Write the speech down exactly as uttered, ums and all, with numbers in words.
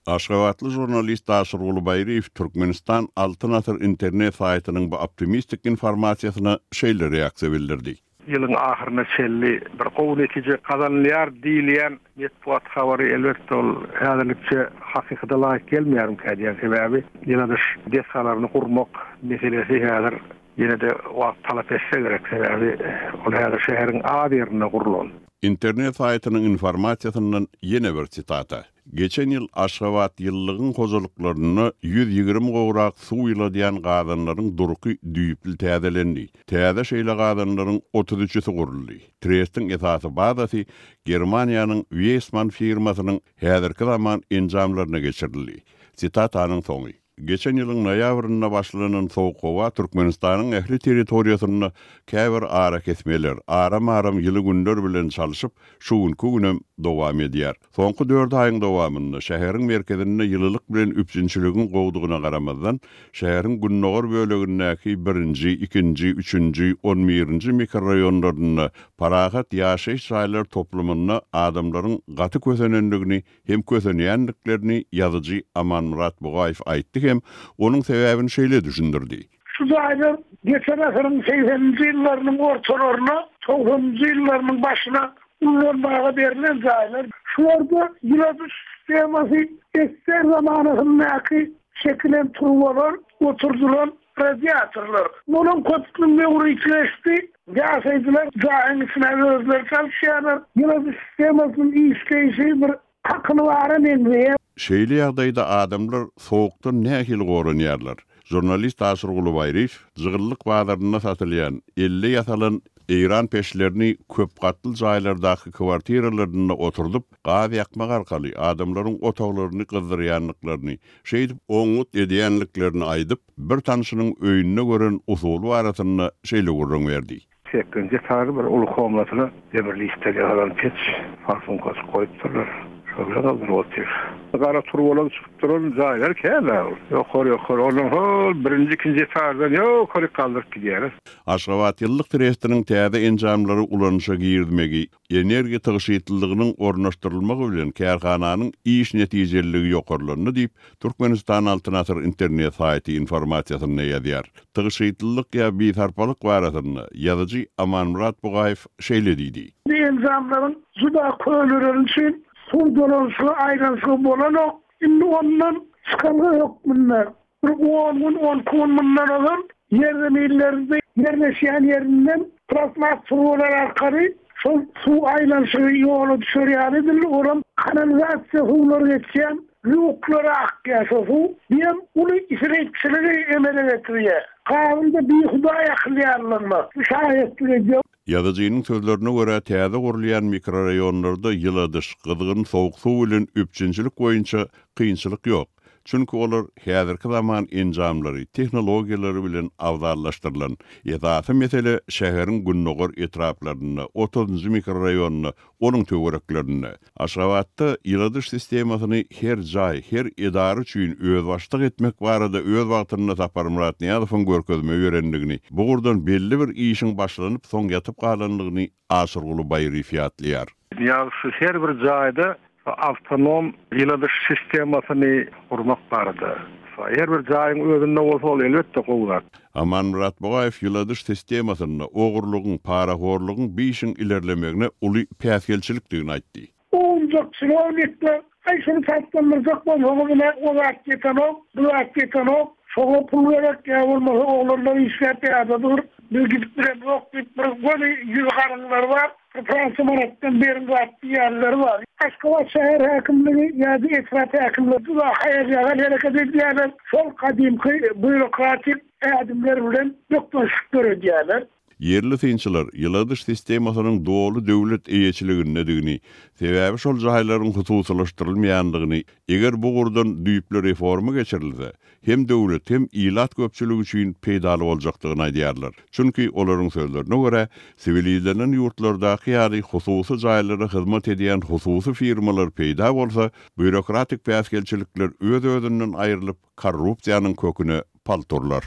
Aşgabatly žurnalist Aşyrguly Baýryýew Türkmenistan Altyn Asyr internet saýtynyň bu optimistik informasiýasyna şeýle reaksiýa bildirdi. Ýylyň ahyryna çenli bir gowy netije gazanylýar diýilýän metbugat habary elbetde ol häzirlikçe hakykata laýyk gelmeýärmikä diýen sebäbi ýyladyş desgalaryny gurmak meselesi häzir ýene-de wagt talap etse gerek sebäbi ol häzir şäheriň az ýerinde gurlan. Internet saýtynyň informasiýasyndan ýene bir sitata. Geçen ýyl Aşgabat ýyllygyň hojalyklarynda ýüz ýigrimi gowrak suw ýyladýan gazanlaryň durky düýpli täzelendi. Täze şeýle gazanlaryň otuz üçüsi guruldy. Trestiň esasy bazasy Germaniýanyň Viessmann firmasynyň häzirki zaman enjamlaryna geçirildi. Sitatanyň soňy. Geçen ýylyň noýabrynda başlanan soğuk howa Türkmenistanyň ähli territoriýasynda käbir ara kesmeler, aram-aram ýyly günler bilen çalşyp, şu günkü günem dowam edýär. Soňky dört aýyň dowamynda şäheriň merkezinde ýylylyk bilen üpjünçiligiň gowdugyna garamazdan, şäheriň gündogar bölegindäki birinji, ikinji, üçünji, on birinji mikroraýonlarynda parahat ýaşaýyş jaýlar toplumynda adamlaryň gaty kösenendigini hem kösenýändiklerini ýazyjy Amanmyrat Bugaýew aýtdy hem onuň sebäbini şeýle düşündirdi. Şu jaýlar geçen asyryň segseninji ýyllarynyň ortalaryna, togsanynjy ýyllarynyň başyna ullanmaga berlen jaýlar. Şularda ýyladyş sistemasy ester zamanasyndaky çekilen turbalar, oturdylan radiatorlar. Onuň köpüsiniň möwri geçdi. Ýaşaýjylar jaýyň içine özleri çalışýarlar. Ýyladyş sistemasynyň işleýşi bir hakyny bara meňzeýär. Şeýle ýagdaýda adamlar soğukdan nähili goranýarlar? Žurnalist Aşyrguly Baýryýew jygyllyk bazarynda satylýan elle ýasalan Eýran peşlerini köp gatly jaýlardaky kwartiralarynda oturdyp, gaz ýakmak arkaly adamlaryň otaglaryny gyzdyrýanlyklaryny, şeýdip oňňut edýänliklerini aýdyp, bir tanşynyň öýünde gören usuly barasynda şeýle gürrüň berdi. Sekizинji etažy bir uly komnatyna demir listler ýasalan peç farsunkasy goýupdyrlar. Şolar galdyryp otyr. Gara turbalar çykyp duran jaýlar käme ol. Ýokary, ýokary, ondan hol birinji, ikinji etaždan ýokary galdyryp gidýär. Aşgabat ýyllyk trestiniň täze enjamlary ulanyşa girmegi, energiýa tygşytlylygynyň ornaşdyrylmagy bilen kärhananyň iş netijeliligi ýokarlandy diýip, Türkmenistan Altyn Asyr internet saýty informasiýasynda ýazýar. Tygşytlylyk ýa bisarpalyk barasynda ýazyjy Amanmyrat Bugaýew şeýle diýdi. Bu enjamlaryň juda köneleri üçin suw dolanşygy aýlanşygy bolanok. Indi ondan çykalga hökmünde bir on gün, on iki gün mundan ozal ýerzeminlerde ýerleşýän ýerinden plastmas turbalar arkaly şol suw aýlanşygy ýola düşer ýaly edildi. Olam kanalizasiýa suwlary geçýän lýuklara akýar şo suw. Diýen uly isripçiligi emele getirýär. Kanunda bir hudaý akylýarlygyna şaýatlyk edýär. Ýazyjynyň sözlerine görä täze gurulýan mikroraýonlarda ýyladyş, gyzgyn soğuk suw bilen üpjünçilik boýunça kynçylyk ýok. Çünki olar häzirki zaman enjamlary, tehnologiýalary bilen abzallaşdyrylan. Esasy mesele şäheriň gündogar etraplarynda, otuzunjy mikroraýonda, onuň töwereklerinde. Aşgabatda ýyladyş sistemasyny her jaý, her edara üçin özbaşdak etmek barada öz wagtynda Saparmyrat Nyýazowyň görkezme berendigini, bu ugurdan belli bir işiň başlanyp soň ýatyp galandygyny Aşyrguly Baýryýew ýatlaýar. Nyýazow her bir jaýda avtonom ýyladyş sistemasyny gurmak barada. Her bir jaýyň özünde bolsa ol elbetde gowy zat. Amanmyrat Bugaýew ýyladyş sistemasynda ogurlygyň, parahorlugyň bir işiň ilerlemegine uly päsgelçilikdigini aýtdy. Ownjak çinownikler, aý şuny tatlandyrjak bolsaňyz ine o zat ýetenok, bu zat ýetenok, şoňa pul gerek ýa bolmasa oglanlar işläp ýadadyr, biz gidip bilemok diýip bir göni ýüz garyňlar bar, bir Fransa manatdan berin zat diýenleri bar. Aşgabat şäher häkimligi ýa-da etrap häkimligi juda haýal-ýagal hereket edýärler. Şol gadymky býurokratik ädimler bilen bökdençlik döredýärler. Ýerli synçylar ýyladyş sistemasynyň doly döwlet eýeçiligindedigini, sebäbi şol jaýlaryň hususylaşdyrylmaýandygyny, eger bu ugurdan düýpli reforma geçirilse, hem döwlet hem ilat köpçüligi üçin peýdaly boljakdygyny aýdýarlar. Çünki olaryň sözlerine görä, siwilizlenen ýurtlardaky ýaly hususy jaýlara hyzmat edýän hususy firmalar peýda bolsa, býurokratik päsgelçilikler öz-özünden aýrylyp, korrupsiýanyň köküne palturlar.